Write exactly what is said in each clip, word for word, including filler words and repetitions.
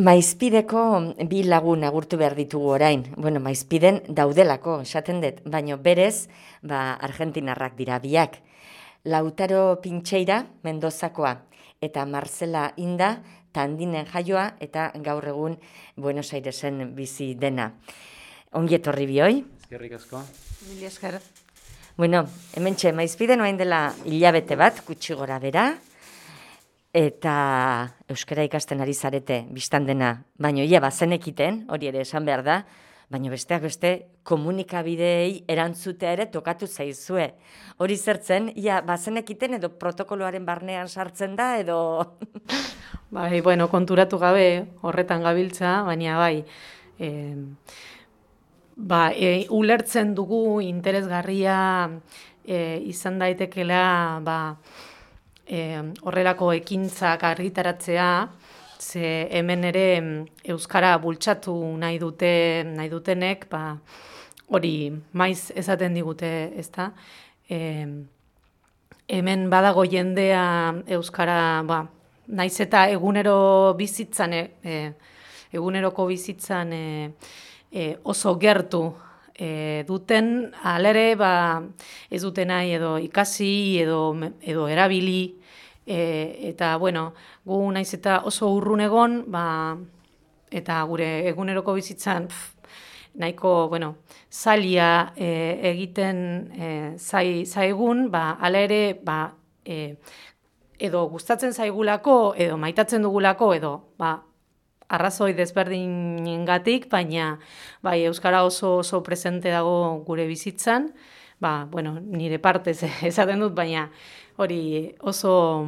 Maizpideko bi lagun agurtu behar ditugu orain. Bueno, Maizpiden daudelako, esaten dut, baino berez, ba, argentinarrak dira biak. Lautaro Pintxeira, Mendozakoa, eta Marcela Inda, Tandinen jaioa, eta gaur egun Buenos Airesen bizi dena. Ongi etorri bioi? Eskerrik asko. Mila esker. Bueno, hementxe, Maizpiden oain dela hilabete bat, gutxi gora bera, eta euskara ikasten ari zarete, biztan dena, baino ia bazenekiten, hori ere esan behar da, baino besteak beste komunikabideei erantzutea ere tokatu zaizue. Hori zertzen, ia bazenekiten edo protokoloaren barnean sartzen da edo... Bai, bueno, konturatu gabe horretan gabiltza, baina bai, e, ba, e, ulertzen dugu interesgarria e, izan daitekela, ba, E, horrelako ekintzak argitaratzea, ze hemen ere euskara bultzatu nahi dute nahi dutenek, ba, hori maiz esaten digute, ezta? E, hemen badago jendea euskara, ba, naiz eta egunero bizitzan, e, eguneroko bizitzan e, e, oso gertu E, duten, alere, ba, ez dute nahi edo ikasi edo, edo erabili, e, eta, bueno, gu naiz eta oso urrun egon, ba, eta gure eguneroko bizitzan pf, nahiko, bueno, zaila e, egiten e, zai, zaigun, ba, alere, ba, e, edo gustatzen zaigulako, edo maitatzen dugulako, edo, ba, arrazoi desberdinengatik, baina bai, euskara oso oso presente dago gure bizitzan, ba, bueno, nire partez esaten dut, baina hori oso,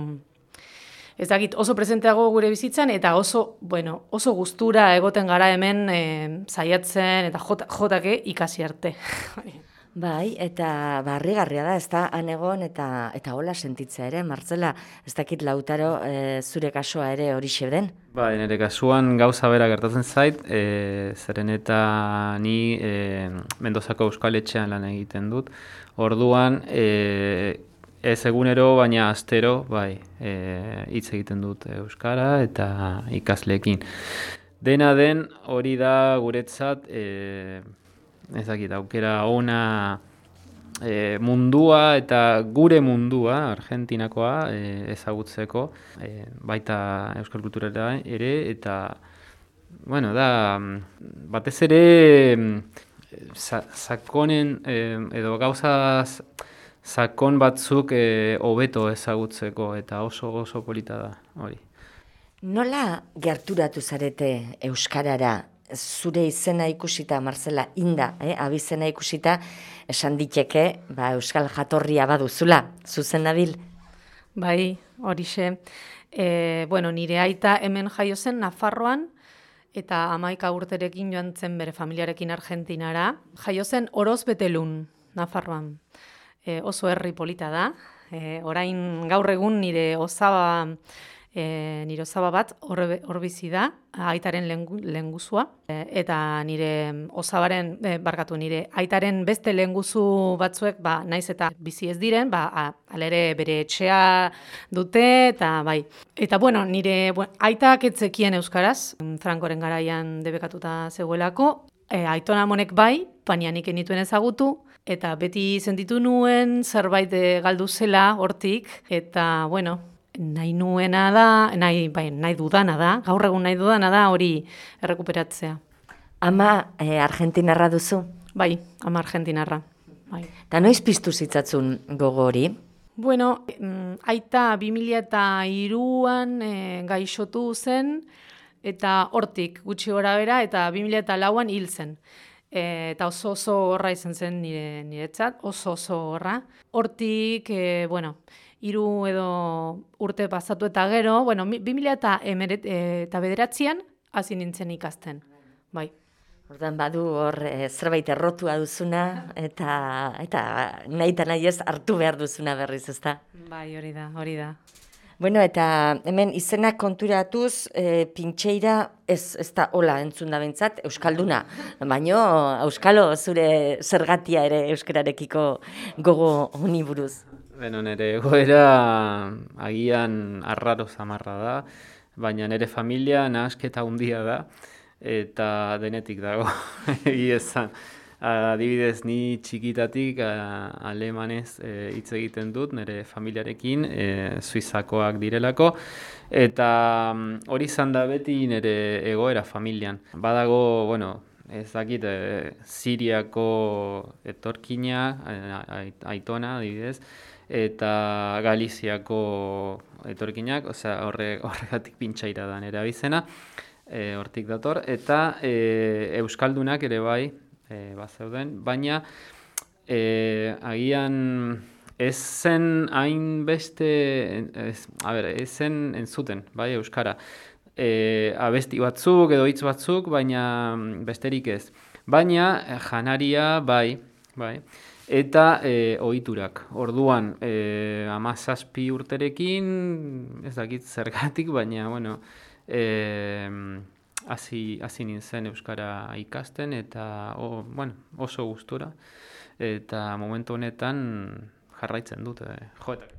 ez dakit, oso presente dago gure bizitzan, eta oso, bueno, oso gustura egoten gara hemen e, saiatzen eta jota, jotake ikasi arte. Bai, eta barrigarria da, ez da, han egon eta eta hola sentitzea ere, Martzela, ez dakit Lautaro e, zure kasoa ere horixe den? Ba, nire kasuan gauza bera gertatzen zait, e, zeren eta ni e, Mendozako Euskal Etxean lan egiten dut. Orduan, e, ez egunero, baina astero, bai, e, hitz egiten dut euskara eta ikasleekin. Dena den, hori da guretzat, e, ez dakit, aukera ona e, mundua eta gure mundua, Argentinakoa, e, ezagutzeko, e, baita euskal kulturera ere, eta, bueno, da, batez ere, sa, sakonen, e, edo gauzaz, sakon batzuk e, hobeto ezagutzeko, eta oso oso polita da, hori. Nola gerturatu zarete euskarara? Zure izena ikusita, Marcela Inda, eh, abizena ikusita, esan diteke, ba, euskal jatorria baduzula, zuzen nabil? Bai, horixe. E, bueno, nire aita hemen jaio zen Nafarroan, eta hamaika urterekin joan zen bere familiarekin Argentinara. Jaio zen Orozbetelun, Nafarroan. E, oso herri polita da. E, orain gaur egun nire osaba... E, nire osaba bat hor bizi da, aitaren lehengusua, e, eta nire osabaren, e, barkatu, nire aitaren beste lehengusu batzuek, ba, naiz eta bizi ez diren, ba, alere bere etxea dute, eta bai. Eta, bueno, nire bueno, aitak etzekien euskaraz, Frankoren garaian debekatuta zegoelako, e, aitona monek bai, baina nik enituen ezagutu, eta beti sentitu nuen zerbait galdu zela hortik, eta, bueno, nahi nuena da, nahi, bai, nahi dudana da, gaur egun nahi dudana da hori errekuperatzea. Ama e, argentinarra duzu? Bai, ama argentinarra. Bai. Ta noiz piztu zitzatzun gogo hori? Bueno, aita bi mila hiruan e, gaixotu zen, eta hortik gutxi gora bera, eta bi mila lauan hil zen. E, eta oso oso horra izan zen nire, niretzat, oso oso horra. Hortik, e, bueno, hiru edo urte pasatu eta gero, bueno, bi mila eta bederatzian hasi nintzen ikasten, bai. Ordan badu hor e, zerbait errotua duzuna, eta eta nahi eta nahi ez hartu behar duzuna berriz, ezta? Bai, hori da, hori da. Bueno, eta hemen izenak konturatuz, e, Pintxeira ez, ez da hola entzun da bentzat, euskalduna, baino euskalo zure zergatia ere euskararekiko gogo honi buruz. Beno, nire egoera agian arraro zamarra da. baina nire familia nahasketa handia da, eta denetik dago, egia esan. Adibidez, ni txikitatik alemanez hitz egiten dut, nire familiarekin, suizakoak direlako, eta hori izan da beti nire egoera familian. Badago, bueno, ez dakit, Siriako etorkina, aitona, adibidez, eta Galiziako etorkinak, osea, horregatik pintxaira da nire abizena, hortik dator, eta euskaldunak ere bai, E, bazeuden, baina e, agian ez zen hainbeste, ez, a ber, ez zen entzuten, bai, euskara. E, abesti batzuk edo hitz batzuk, baina besterik ez. Baina janaria bai, bai. Eta e, ohiturak. Orduan, e, hamazazpi urterekin, ez dakit zergatik, baina, bueno, e, Hasi, hasi nintzen euskara ikasten eta o, bueno, oso gustura eta momentu honetan jarraitzen dut eh, joetak.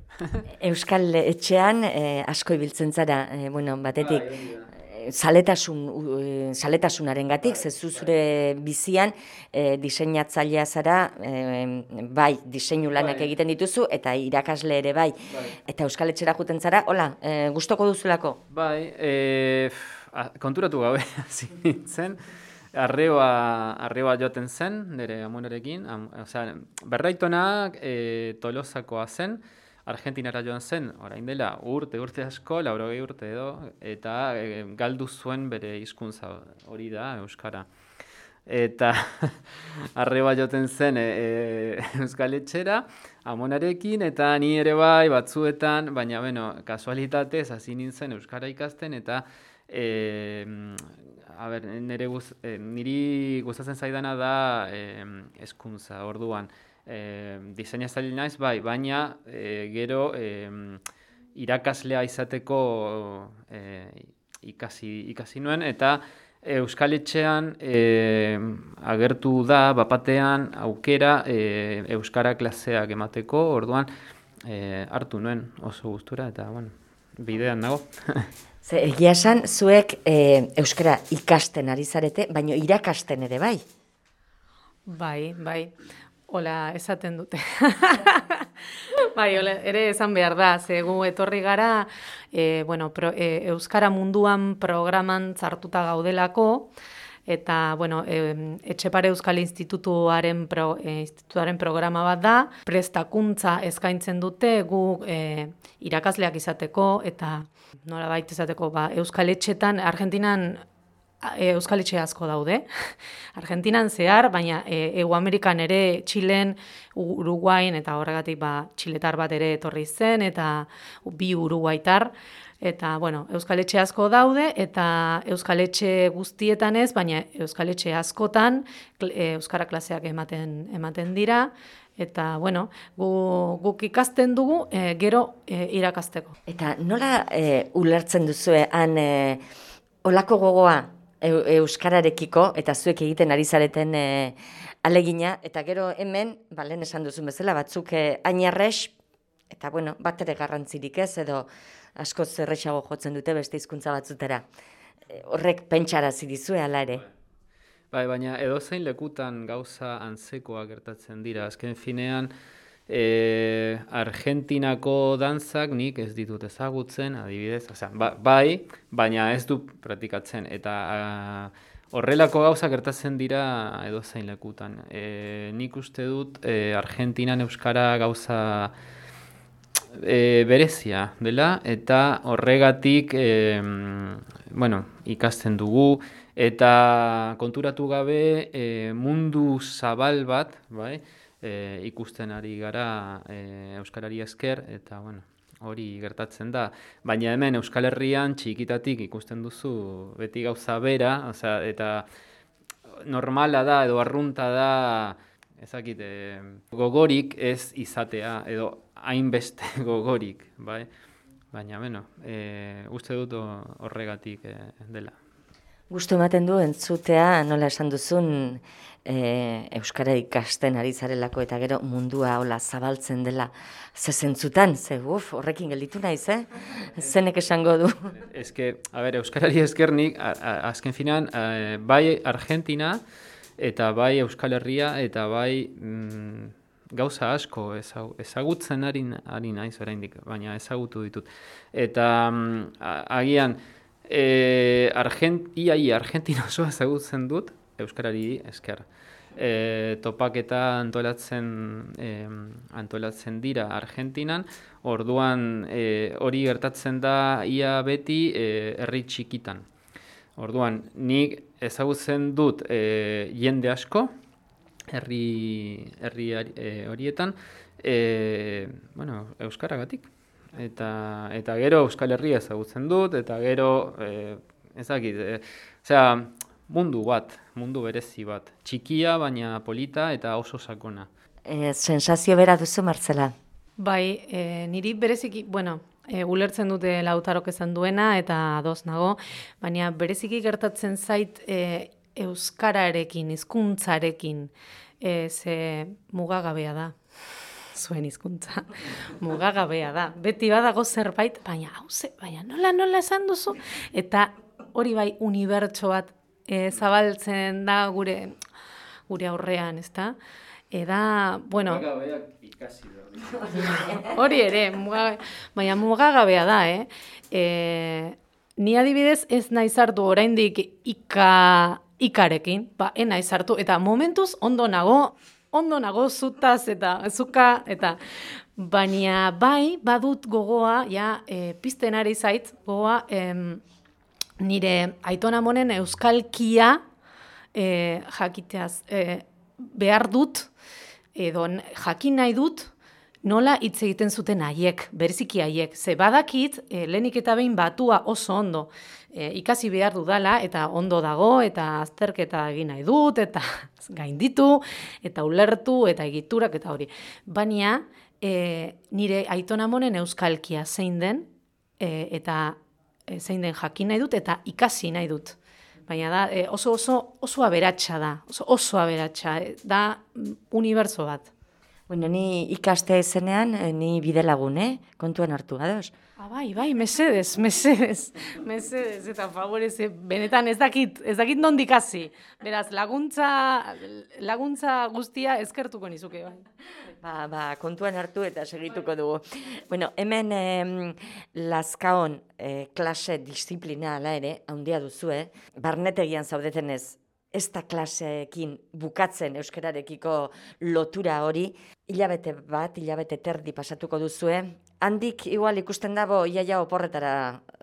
Euskal etxean eh, asko ibiltzen zara, eh, bueno, batetik eh, zaletasun, uh, zaletasunarengatik, ze zu zure bizian eh, diseinatzailea zara, eh, bai, diseinu lanak bai. egiten dituzu eta irakasle ere bai. Bai. Eta euskal etxera joeten zara, hola, eh, gustoko duzulako? Bai, eh, konturatu gabe hasi nintzen, arreba, arreba joten zen, nire amonarekin, am, osea, berraitonak e, Tolosakoa zen, Argentinara joan zen, orain dela urte, urte asko, laurogei urte edo, eta e, galdu zuen bere hizkuntza hori da, euskara. Eta arreba joten zen e, e, euskal etxera, amonarekin, eta ni ere bai batzuetan, baina, bueno, kasualitatez hasi nintzen euskara ikasten, eta E, a ber, nire guz, e, niri gustatzen zaidana da e, hezkuntza orduan. E, diseinatzaile naiz bai, baina e, gero e, irakaslea izateko e, ikasi, ikasi nuen, eta Euskal Etxean e, agertu da bapatean aukera e, euskara klaseak emateko, orduan e, hartu nuen oso gustura, eta bueno, bidean nago. Ze, egia esan, zuek e, euskara ikasten ari zarete, baina irakasten ere bai. Bai, bai. Hola, esaten dute. Bai, hola, ere esan behar da, ze gu etorri gara, e, bueno, pro, e, euskara munduan programan sartuta gaudelako, eta, bueno, e, Etxepare Euskal Institutuaren, pro, e, institutuaren programa bat da, prestakuntza eskaintzen dute gu e, irakasleak izateko, eta nola baita izateko, ba, Euskal Etxetan, Argentinan e, Euskal Etxe asko daude, Argentinan zehar, baina e, Ego Amerikan ere, Txilen, Uruguain, eta horregatik ba, txiletar bat ere etorri zen, eta bi uruguaitar, eta, bueno, Euskal Etxe asko daude, eta Euskal Etxe guztietan ez, baina Euskal Etxe askotan euskara klaseak ematen, ematen dira, eta, bueno, gu, guk ikasten dugu, e, gero e, irakasteko. Eta nola e, ulertzen duzue han e, olako gogoa e, euskararekiko, eta zuek egiten ari zareten e, alegina, eta gero hemen, ba, lehen esan duzun bezala, batzuk e, ainarrex, eta, bueno, bat ere garrantzirik ez, edo asko zerrexago jotzen dute beste hizkuntza batzutera. E, horrek pentsarazi dizue hala ere. Bai, baina edozein lekutan gauza antzekoa gertatzen dira. Azken finean, e, Argentinako dantzak nik ez ditut ezagutzen, adibidez, osea, ba, bai, baina ez du praktikatzen, eta a, horrelako gauza gertatzen dira edozein lekutan. E, nik uste dut e, Argentinan euskara gauza E, berezia dela, eta horregatik e, bueno, ikasten dugu, eta konturatu gabe e, mundu zabal bat, bai, e, ikusten ari gara e, euskarari esker, eta bueno, hori gertatzen da. Baina hemen Euskal Herrian txikitatik ikusten duzu beti gauza bera, osea, eta normala da edo arrunta da, ezakit, e, gogorik ez izatea, edo hainbeste gogorik, bai? Baina, bueno, e, uste dut horregatik e, dela. Gustu ematen du entzutea, nola esan duzun, e, Euskara ikasten ari zarelako eta gero mundua hola zabaltzen dela ze zentzutan, ze uf, horrekin gelditu naiz, eh? Zenek esango du. Ez que, a ber, Euskarari eskernik, azken finan, a, bai Argentina eta bai Euskal Herria eta bai mm, gauza asko ezagutzen ari, ari naiz oraindik, baina ezagutu ditut. Eta mm, agian, e, Argent, iai Argentina oso ezagutzen dut, Euskarari esker. E, topaketa antolatzen, e, antolatzen dira Argentinan, orduan e, hori gertatzen da ia beti e, herri txikitan. Orduan, nik ezagutzen dut e, jende asko, herri, herri e, horietan, e, bueno, Euskaragatik. Eta, eta gero Euskal Herria ezagutzen dut, eta gero, e, ezakit, e, osea, mundu bat, mundu berezi bat. Txikia, baina polita eta oso sakona. E, sensazio bera duzu, Martzela? Bai, e, niri bereziki, bueno, e, ulertzen dute Lautarok esan duena eta ados nago, baina bereziki gertatzen zait e, euskararekin, hizkuntzarekin, e, ze mugagabea da. Zuen hizkuntza mugagabea da. Beti badago zerbait, baina hauze, baina nola nola esan duzu? Eta hori bai unibertso bat e, zabaltzen da gure gure aurrean, ezta? Eda, bueno, Mugagabeak ikasi behar. Hori ere, muga, baina mugagabea da, eh? E, ni adibidez ez naiz hartu oraindik ika ikarekin, ba, ez naiz hartu eta momentuz ondo nago ondo nago zutaz eta zuka, eta baina bai badut gogoa, ja, e, pizten ari zait, gogoa, em, nire Aiton Amonen euskalkia e, jakiteaz e, behar dut, edo jakin nahi dut, nola hitz egiten zuten haiek, bereziki haiek, ze badakit, e, lehenik eta behin batua oso ondo, e, ikasi behar dudala, eta ondo dago, eta azterketa egin nahi dut, eta gainditu, eta ulertu, eta egiturak, eta hori. Baina, e, nire Aiton Amonen euskalkia zein den, e, eta e, zein den jakin nahi dut, eta ikasi nahi dut. Baina da, e, oso, oso, oso aberatsa da, oso, oso aberatsa, da unibertso bat. Bueno, ni ikastea izenean, ni bidelagun, eh? Kontuan hartu, ados? Ah, bai, bai, mesedez, mesedez, mesedez, eta favorez, benetan ez dakit, ez dakit nondik hasi. Beraz, laguntza, laguntza guztia eskertuko nizuke, bai. Ba, ba, kontuan hartu eta segituko dugu. Bueno, hemen eh, Lazkaon eh, klase disiplina ala ere, handia duzu, eh? Barnetegian zaudetenez, ez da klaseekin bukatzen euskararekiko lotura hori, hilabete bat, hilabete terdi pasatuko duzue, handik igual ikusten dago iaia oporretara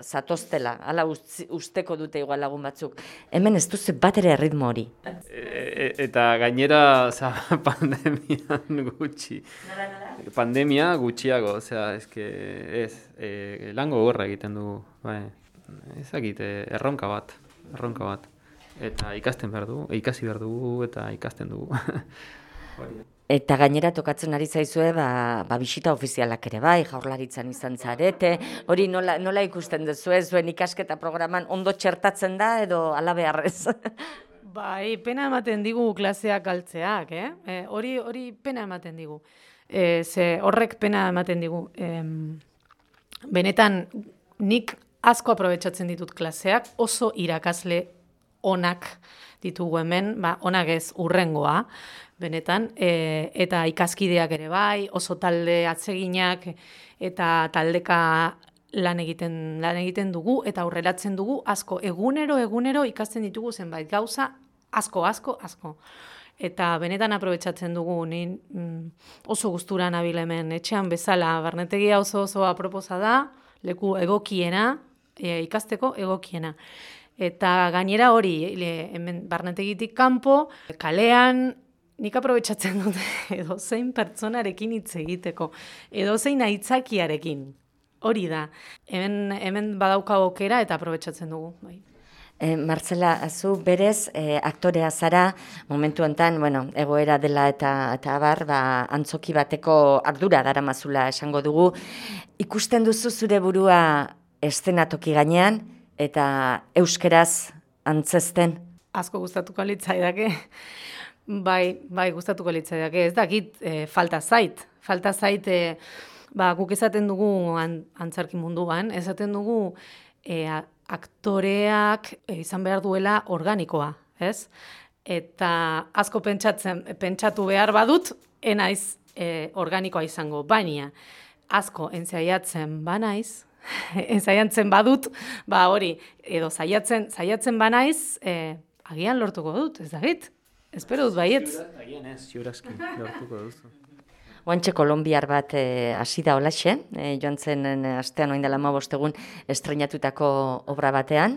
zatoztela, hala usteko dute igual lagun batzuk. Hemen ez duzu bat ere ritmo hori. E, eta gainera, oza, pandemian gutxi. Nola, nola? Pandemia gutxiago, osea, eske, ez, e, lango gorra egiten dugu, bai, ezakit, erronka bat, erronka bat. Eta ikasten behar dugu, ikasi behar dugu eta ikasten dugu. Eta gainera tokatzen ari zaizue, ba, ba bisita ofizialak ere bai, Jaurlaritzan izan zarete, hori nola, nola ikusten duzu, zuen ikasketa programan ondo txertatzen da edo ala beharrez? Bai, pena ematen digu klaseak galtzeak, eh? E, hori, hori pena ematen digu. E, ze horrek pena ematen digu. E, benetan, nik asko aprobetxatzen ditut klaseak, oso irakasle onak ditugu hemen, ba, onak ez urrengoa, benetan, e, eta ikaskideak ere bai, oso talde atseginak eta taldeka lan egiten, lan egiten dugu, eta aurreratzen dugu asko, egunero, egunero ikasten ditugu zenbait gauza, asko, asko, asko. Eta benetan aprobetxatzen dugu, ni oso gustura nabil hemen, etxean bezala, barnetegia oso oso aproposa da, leku egokiena, e, ikasteko egokiena. Eta gainera hori, hemen barnetegitik kanpo, kalean, nik aprobetxatzen dute edo zein pertsonarekin hitz egiteko, edo zein aitzakiarekin, hori da. Hemen, hemen badauka aukera eta aprobetxatzen dugu. Bai. E, Martzela, zu berez e, aktorea zara, momentu enten, bueno, egoera dela eta, eta abar, ba, antzoki bateko ardura daramazula esango dugu. Ikusten duzu zure burua eszenatoki gainean, eta euskeraz antzesten? Asko gustatuko litzaidake. Bai, bai, gustatuko litzaidake. Ez dakit, e, falta zait. Falta zait, e, ba, guk esaten dugu an, antzarki munduan, esaten dugu e, aktoreak e, izan behar duela organikoa, ez? Eta asko pentsatzen, pentsatu behar badut, enaiz e, organikoa izango, baina asko entzaiatzen banaiz, entzaiatzen badut, ba hori, edo zaiatzen, zaiatzen banaiz, e, agian lortuko dut, ez dakit? Espero dut baietz. Agian ez, ziurazki lortuko duzu. Oantxe kolombiar bat eh, hasi da olaxe, eh, joan zen eh, astean oin dela hamabost egun estrenatutako obra batean,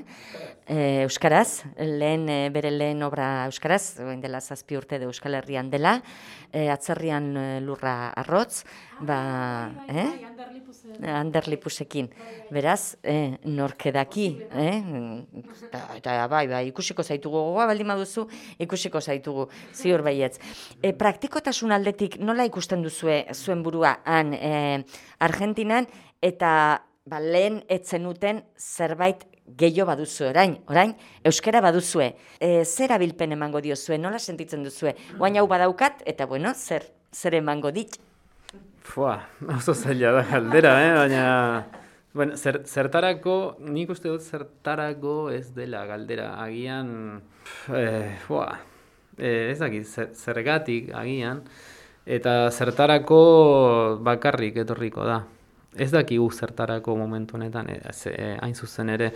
eh, euskaraz, lehen eh, bere lehen obra euskaraz, oin dela zazpi urte de Euskal Herrian dela, eh, atzerrian eh, lurra arrotz, ba, eh? Ander Lipusekin. Beraz, eh, norkedaki, eh? Eta, eta bai, bai, ikusiko zaitugu, gogoa baldin baduzu, ikusiko zaitugu, ziur baietz. E, praktikotasun aldetik nola ikusten duzue zuen burua han e, Argentinan, eta ba, lehen etzenuten zerbait gehiago baduzu orain, orain, euskara baduzue. E, zer abilpen emango diozue, nola sentitzen duzue? Guain hau badaukat, eta bueno, zer, zer emango dit? Fua, oso zaila da galdera, eh? Baina, bueno, zer, zertarako, nik uste dut zertarako ez dela galdera, agian, eh, fua, eh, ez dakit, zer, zergatik agian, eta zertarako bakarrik etorriko da. Ez dakigu zertarako momentu honetan, ez, eh, hain zuzen ere,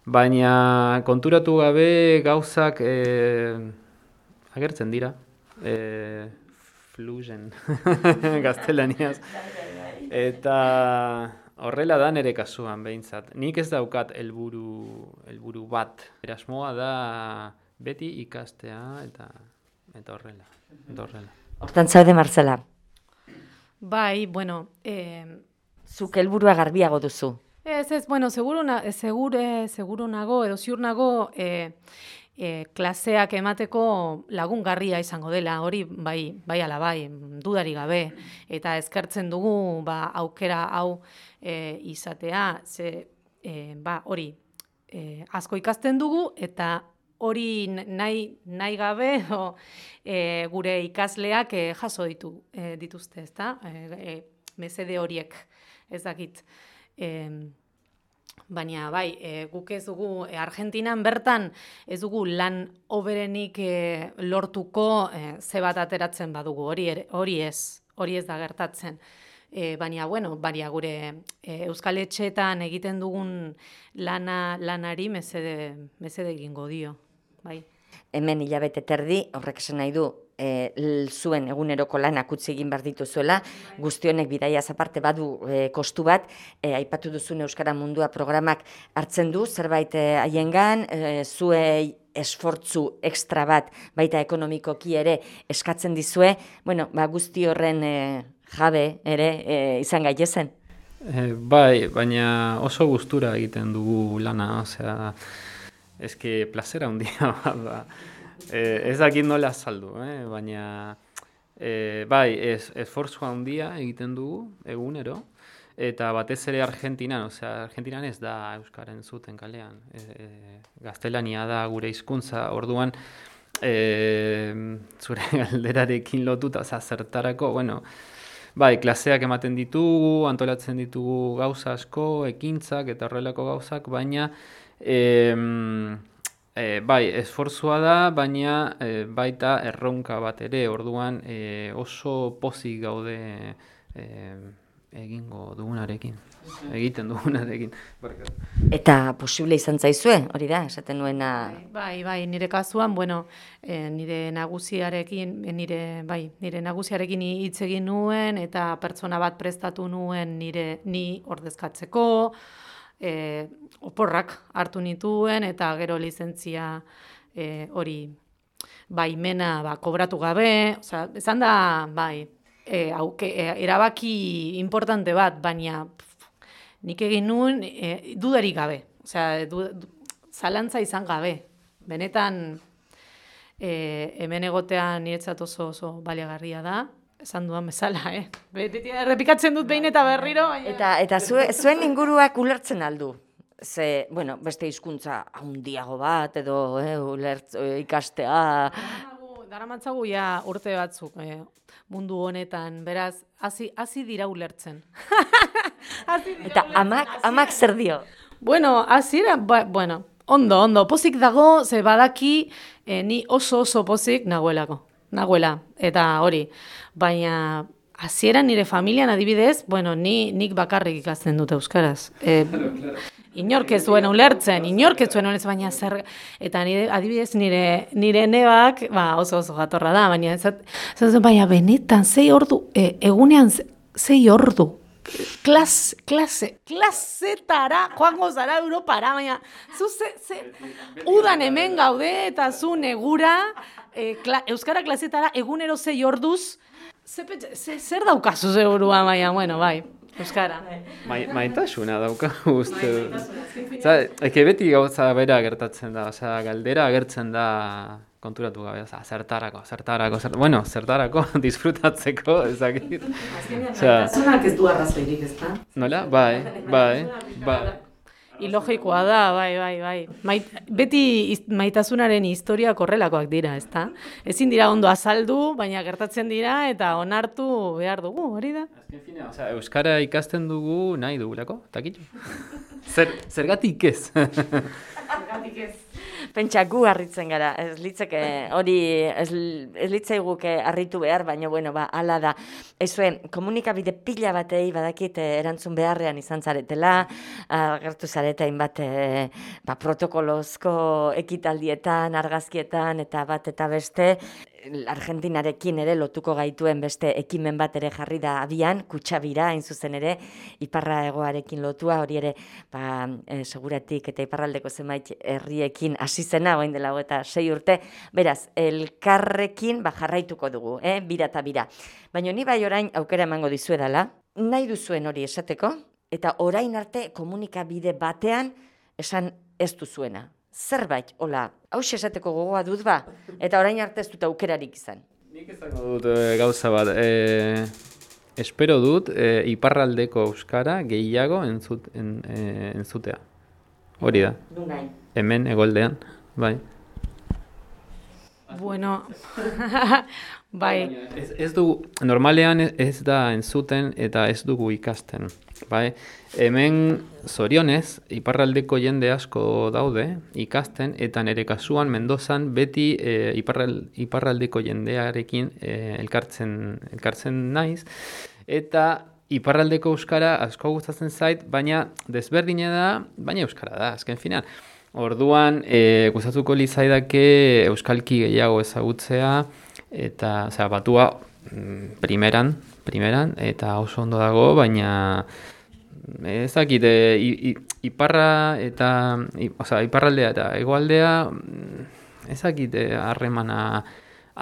baina konturatu gabe gauzak eh, agertzen dira, eh, fluyen, gaztelaniaz. Eta horrela da nire kasuan behintzat. Nik ez daukat helburu helburu bat. Erasmoa da beti ikastea eta eta horrela. Eta horrela. Hortan zaude, Martzela? Bai, bueno... Eh, Zuk helburua garbiago duzu. Ez, ez, bueno, seguro, na, segure, seguro nago, edo ziur nago... Eh, E, klaseak emateko lagungarria izango dela, hori bai, bai ala bai, dudari gabe, eta eskertzen dugu ba, aukera hau e, izatea, ze e, ba, hori e, asko ikasten dugu, eta hori nahi, nahi gabe o, e, gure ikasleak e, jaso ditu, e, dituzte, ezta? E, e, mesede horiek, ez dakit. E, Baina, bai, e, guk ez dugu, e, Argentinan bertan ez dugu lan oberenik e, lortuko e, ze bat ateratzen badugu, hori, ere, hori ez, hori ez da gertatzen. E, baina, bueno, baina gure e, Euskal Etxeetan egiten dugun lana, lanari mesede, mesede egingo dio, bai. Hemen hilabete terdi, horrek esan nahi du, e, zuen eguneroko lanak utzi egin behar dituzuela, guztionek bidaiaz aparte badu e, kostu bat, e, aipatu duzun Euskara Mundua programak hartzen du, zerbait haiengan, e, zuei esfortzu ekstra bat, baita ekonomikoki ere eskatzen dizue, bueno, ba, guzti horren e, jabe ere e, izan gaitezen. E, bai, baina oso gustura egiten dugu lana, osea, eske plazera handia bat da. Eh, ez dakit nola azaldu, eh? Baina eh, bai, ez, esfortzua handia egiten dugu egunero, eta batez ere Argentinan, osea, Argentinan ez da euskara entzuten kalean, e, e, gaztelania da gure hizkuntza, orduan e, zure galderarekin lotuta, osea, zertarako, bueno, bai, klaseak ematen ditugu, antolatzen ditugu gauza asko, ekintzak eta horrelako gauzak, baina e, E, bai, esfortzua da, baina e, baita erronka bat ere, orduan e, oso pozik gaude e, egingo dugunarekin, egiten dugunarekin. Eta posible izan zaizue, hori da, esaten nuena... Bai, bai, nire kasuan, bueno, e, nire nagusiarekin, nire, bai, nire nagusiarekin hitz egin nuen, eta pertsona bat prestatu nuen nire ni ordezkatzeko, E, oporrak hartu nituen, eta gero lizentzia e, hori baimena ba, kobratu gabe, osea, esan da, bai, e, auke, e, erabaki importante bat, baina pff, nik egin nuen e, dudarik gabe, osea, du, du, zalantza izan gabe, benetan e, hemen egotean niretzat oso oso baliagarria da, esan duan bezala, eh? Betetia errepikatzen dut behin eta berriro. Baina... Eta, eta zue, zuen inguruak ulertzen aldu. ze, bueno, beste hizkuntza handiago bat, edo eh, ulertz, eh, ikastea. Daramatzagu ja urte batzuk eh, mundu honetan, beraz, hasi hasi dira ulertzen. Hasi dira Eta ulertzen, amak, hasiera- amak zer dio? Bueno, hasiera, ba, bueno, ondo, ondo, pozik dago, ze badaki, eh, ni oso oso pozik nagoelako, nagoela, eta hori, baina hasieran nire familian adibidez, bueno, ni nik bakarrik ikasten dut euskaraz. Eh, Inork ez zuen ulertzen, inork ez zuen ulertzen, baina zer, eta nire, adibidez nire, nire nebak, ba, oso oso jatorra da, baina ez, ez, baina benetan, zei ordu, e, egunean ze- zei ordu, klas, klase, klasetara, joango zara Europara, baina, zu ze, ze, udan hemen gaude, eta zu negura, e, kla, euskara klasetara, egunero zei orduz, ze, pentsa- ze, zer daukazu ze burua, baina, bueno, bai. Euskara. Mai, maitasuna dauka uste. Osa, eke beti gauza bera gertatzen da, osea, galdera agertzen da konturatu gabe, osea, zertarako, zertarako, zer, bueno, zertarako, disfrutatzeko, ezakit. Osea, Maitasunak ez du arrazoirik, ez da? nola? Bai, bai, bai. Ilogikoa da, bai, bai, bai. Mait, beti iz- maitasunaren historiak horrelakoak dira, ezta? Ezin dira ondo azaldu, baina gertatzen dira eta onartu behar dugu, hori da? Azken fina, osea, euskara ikasten dugu nahi dugulako, takitxo? Zer, zergatik ez? Zergatik ez. Pentsa gu harritzen gara, ez litzeke hori, ez, ez litzaiguke harritu behar, baina bueno, ba, hala da. Ezue, komunikabide pila batei badakit eh, erantzun beharrean izan zaretela, agertu zarete hainbat eh, ba, protokolozko ekitaldietan, argazkietan, eta bat eta beste, Argentinarekin ere lotuko gaituen beste ekimen bat ere jarri da abian, Kutxabira, hain zuzen ere, iparra hegoarekin lotua, hori ere, ba, e, seguratik eta iparraldeko zenbait herriekin hasi zena, orain dela eta sei urte, beraz, elkarrekin ba, jarraituko dugu, eh? Bira eta bira. Baina ni bai orain aukera emango dizuedala, nahi duzuen hori esateko, eta orain arte komunikabide batean esan ez duzuena. Zerbait, hola, hauxe esateko gogoa dut ba, eta orain arte ez dut aukerarik izan. Nik izango dut e, gauza bat, e, espero dut e, iparraldeko euskara gehiago entzut, en, e, entzutea. Hori da, Du nahi. hemen egoldean, bai. Bueno, bai. Ez, ez dugu, normalean ez da entzuten eta ez dugu ikasten, bai? Hemen zorionez, iparraldeko jende asko daude ikasten, eta nire kasuan Mendozan beti e, iparral, iparraldeko jendearekin e, elkartzen, elkartzen naiz, eta iparraldeko euskara asko gustatzen zait, baina desberdina da, baina euskara da, azken finean. Orduan, e, gustatuko litzaidake euskalki gehiago ezagutzea, eta, osea, batua mm, primeran, primeran, eta oso ondo dago, baina ez dakit, e, i, i, iparra eta, i, osea, iparraldea eta hegoaldea, mm, ez dakit e, harremana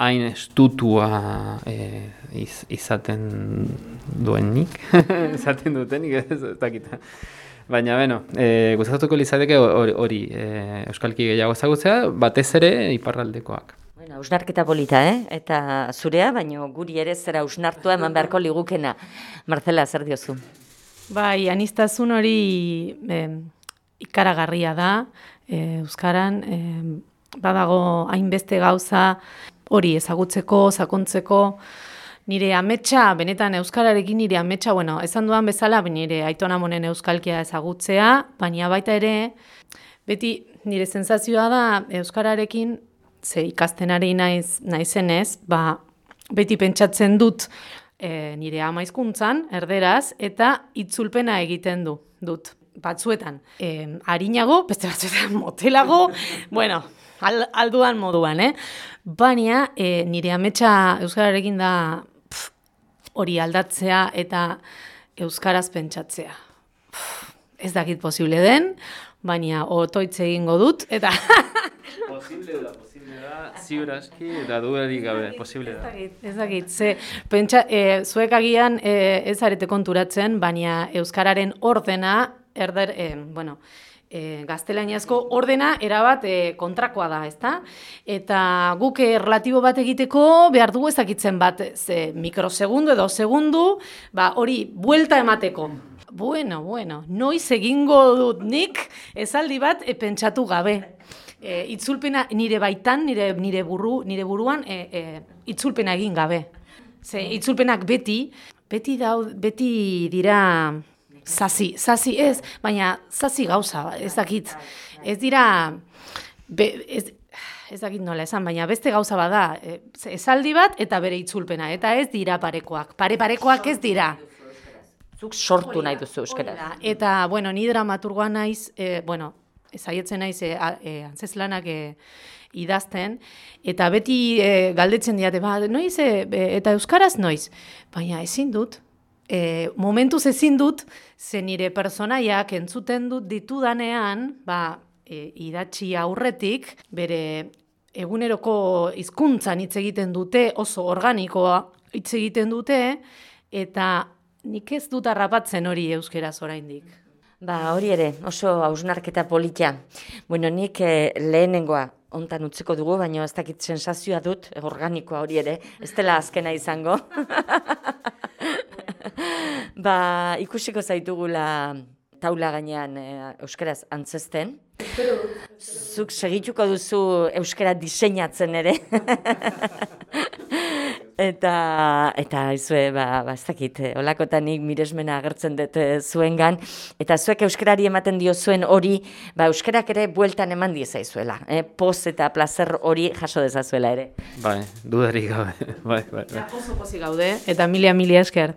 hain estutua e, iz, izaten duenik, izaten dutenik, ez, ez dakit. Baina, beno, e, gustatuko litzateke hori, hori e, euskalki gehiago ezagutzea, batez ere iparraldekoak. Bueno, ausnarketa polita, eh? Eta zurea, baino guri ere zera ausnartua eman beharko ligukena. Marcela, zer diozu? Bai, aniztasun hori eh, ikaragarria da, eh, euskaran, eh, badago hainbeste gauza hori ezagutzeko, sakontzeko, nire ametsa, benetan euskararekin nire ametsa, bueno, esan duan bezala, nire Aiton Amonen euskalkia ezagutzea, baina baita ere, beti nire sentsazioa da euskararekin, ze ikasten ari naiz, naizenez, ba, beti pentsatzen dut e, nire ama hizkuntzan, erderaz, eta itzulpena egiten du, dut, batzuetan. E, harinago, beste batzuetan motelago, bueno, al, alduan moduan, eh? Baina e, nire ametsa euskararekin da pff, hori aldatzea eta euskaraz pentsatzea. Pff, ez dakit posible den, baina otoitz egingo dut, eta... Posible da, posible da, ziur aski, eta dudarik gabe, posible da. Ez dakit, ze, pentsa, e, zuek agian e, ez arete konturatzen, baina euskararen ordena, erder, e, bueno, e, gaztelaniazko ordena erabat e, kontrakoa da, ezta? Eta guk e, relatibo bat egiteko behar dugu ezakitzen bat ze mikrosegundu edo segundu, ba, hori buelta emateko. Bueno, bueno, noiz egingo dut nik esaldi bat e, pentsatu gabe. E, itzulpena nire baitan, nire, nire, buru, nire buruan e, e, itzulpena egin gabe. Ze itzulpenak beti, beti, daud, beti dira zazi, zazi ez, baina zazi gauza, ez dakit. Ez dira, be, ez, ez dakit nola esan, baina beste gauza bada, e, esaldi bat eta bere itzulpena, eta ez dira parekoak. Pare-parekoak ez dira. Zuk sortu nahi duzu euskaraz. Eta, bueno, ni dramaturgoa naiz, e, bueno, ezaietzen naiz e, e, antzeslanak e, idazten, eta beti e, galdetzen diate, ba, noiz, e, eta euskaraz noiz, baina ezin dut, e, momentuz ezin dut, ze nire personaiak entzuten dut ditudanean, ba, e, idatzi aurretik, bere eguneroko hizkuntzan hitz egiten dute, oso organikoa hitz egiten dute, eta nik ez dut harrapatzen hori euskeraz oraindik. Ba, hori ere, oso hausnarketa politia. Bueno, nik eh, lehenengoa hontan utziko dugu, baina ez dakit sensazioa dut, organikoa hori ere, ez dela azkena izango. Ba, ikusiko zaitugula taula gainean eh, euskaraz antzesten. Zuk segituko duzu euskara diseinatzen ere. Eta, eta izue, ba, ba, ez dakit, olakotanik miresmena agertzen dut zuengan, eta zuek euskarari ematen dio zuen hori, ba, euskarak ere bueltan eman diezaizuela, eh? Poz eta plazer hori jaso dezazuela ere. Bai, dudarik gabe, bai, bai, bai. Oso pozik gaude, eta milia milia esker.